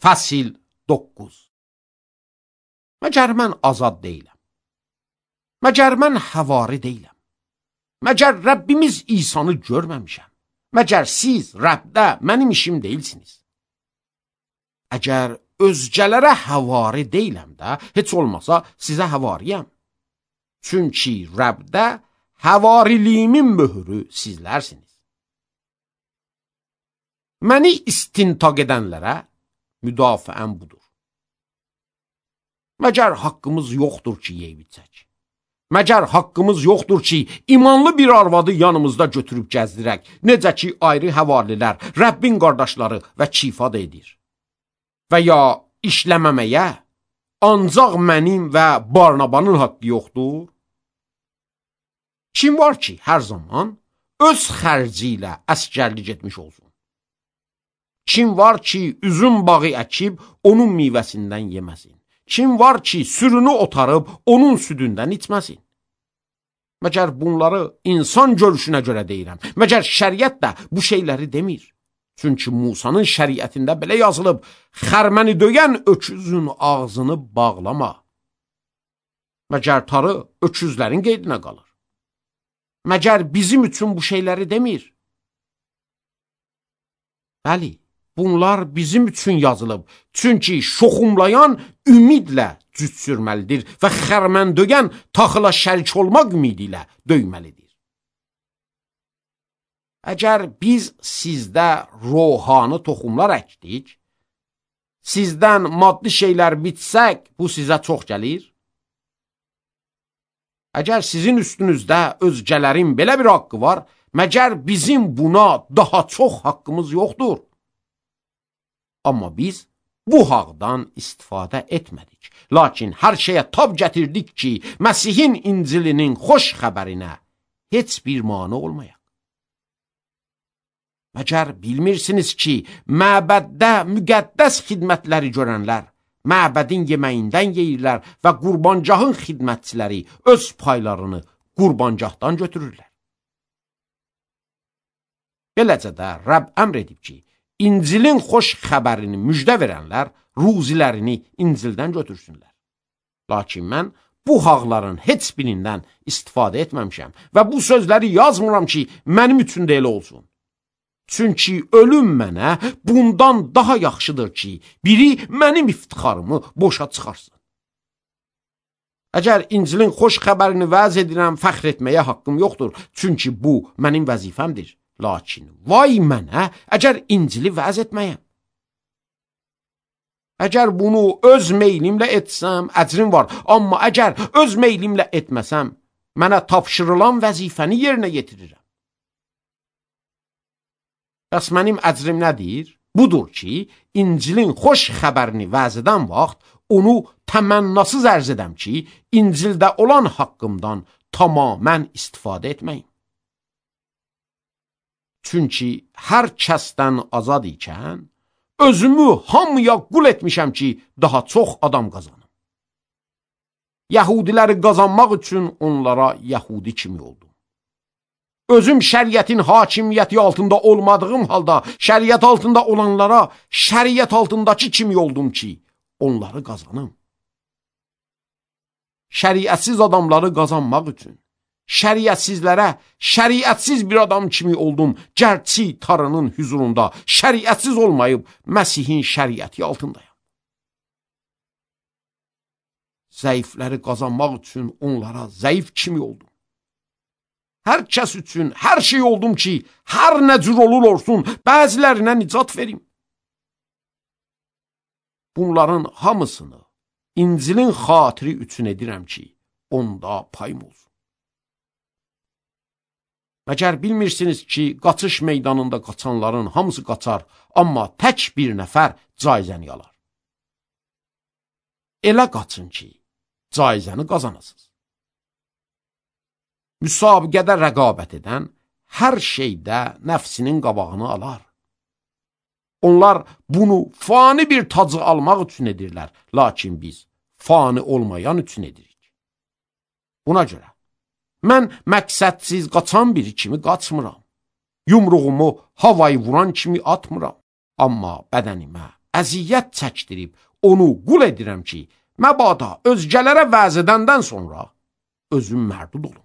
Fəsil 9. Məgər mən azad deyiləm? Məgər mən həvari deyiləm? Məgər Rəbbimiz İsanı görməmişəm? Məgər siz Rəbdə mənim işim deyilsiniz? Əgər özgələrə həvari deyiləm də, heç olmasa sizə həvariyəm. Çünki Rəbdə həvariliyimin möhürü sizlərsiniz. Məni istintaq edənlərə müdafiəm budur. Məgər haqqımız yoxdur ki, yeyib içək? Məgər haqqımız yoxdur ki, imanlı bir arvadı yanımızda götürüb gəzdirək, necə ki, ayrı həvarilər, Rəbbin qardaşları və kifad edir. Və ya işləməməyə ancaq mənim və Barnabanın haqqı yoxdur? Kim var ki, hər zaman öz xərci ilə əsgərlik etmiş olsun? Kim var ki, üzüm bağı əkib, onun meyvəsindən yeməsin? Kim var ki, sürünü otarıb, onun südündən içməsin? Məgər bunları insan görüşünə görə deyirəm. Məgər şəriət də bu şeyləri demir. Çünki Musanın şəriətində belə yazılıb, xərməni döyən öküzün ağzını bağlama. Məgər tarı öküzlərin qeydinə qalır. Məgər bizim üçün bu şeyləri demir. Bəli, bunlar bizim üçün yazılıb. Çünki şoxumlayan ümidlə cüt sürməlidir və xərmən döyən taxıla şərik olmaq ümidi ilə döyməlidir. Əgər biz sizdə ruhani toxumlar əkdik, sizdən maddi şeylər bitsək, bu sizə çox gəlir. Əgər sizin üstünüzdə özgələrin belə bir haqqı var, məgər bizim buna daha çox haqqımız yoxdur? Amma biz bu haqdan istifadə etmədik. Lakin hər şeyə tab gətirdik ki, Məsihin İncilinin xoş xəbərinə heç bir mane olmayaq. Məgər bilmirsiniz ki, məbəddə müqəddəs xidmətləri görənlər, məbədin yeməyindən yeyirlər və qurbancahın xidmətçiləri öz paylarını qurbancahdan götürürlər. Beləcə də Rəbb əmr edib ki, İncilin xoş xəbərini müjdə verənlər ruzilərini İncildən götürsünlər. Lakin mən bu haqların heç birindən istifadə etməmişəm və bu sözləri yazmıram ki, mənim üçün də elə olsun. Çünki ölüm mənə bundan daha yaxşıdır ki, biri mənim iftixarımı boşa çıxarsın. Əgər İncilin xoş xəbərini vəz edirəm, fəxr etməyə haqqım yoxdur, çünki bu mənim vəzifəmdir. Lakin vay mənə, əgər İncili vəz etməyəm. Əgər bunu öz meylimlə etsəm, əcrim var. Amma əgər öz meylimlə etməsəm, mənə tapşırılan vəzifəni yerinə yetirirəm. Bəs mənim əcrim nədir? Budur ki, İncilin xoş xəbərini vəz edən vaxt, onu təmənnasız ərz edəm ki, İncildə olan haqqımdan tamamən istifadə etməyim. Çünki hər kəsdən azad ikən, özümü hamıya qul etmişəm ki, daha çox adam qazanım. Yəhudiləri qazanmaq üçün onlara Yəhudi kimi oldum. Özüm şəriətin hakimiyyəti altında olmadığım halda, şəriət altında olanlara şəriət altındakı kimi oldum ki, onları qazanım. Şəriətsiz adamları qazanmaq üçün, şəriətsizlərə şəriətsiz bir adam kimi oldum, gərçi tarının hüzurunda şəriətsiz olmayıb Məsihin şəriəti altındayım. Zəifləri qazanmaq üçün onlara zəif kimi oldum. Hər kəs üçün hər şey oldum ki, hər nə cür olur olsun, bəzilərinə nicat verim. Bunların hamısını İncilin xatiri üçün edirəm ki, onda payım olsun. Məgər bilmirsiniz ki, qaçış meydanında qaçanların hamısı qaçar, amma tək bir nəfər caizəni alar. Elə qaçın ki, caizəni qazanasınız. Müsabiqədə rəqabət edən hər şeydə nəfsinin qabağını alar. Onlar bunu fani bir tacı almaq üçün edirlər, lakin biz fani olmayan üçün edirik. Buna görə, mən məqsədsiz qaçan biri kimi qaçmıram. Yumruğumu havayı vuran kimi atmıram. Amma bədənimə əziyyət çəkdirib onu qul edirəm ki, məbada özgələrə vəz edəndən sonra özüm mərdud olum.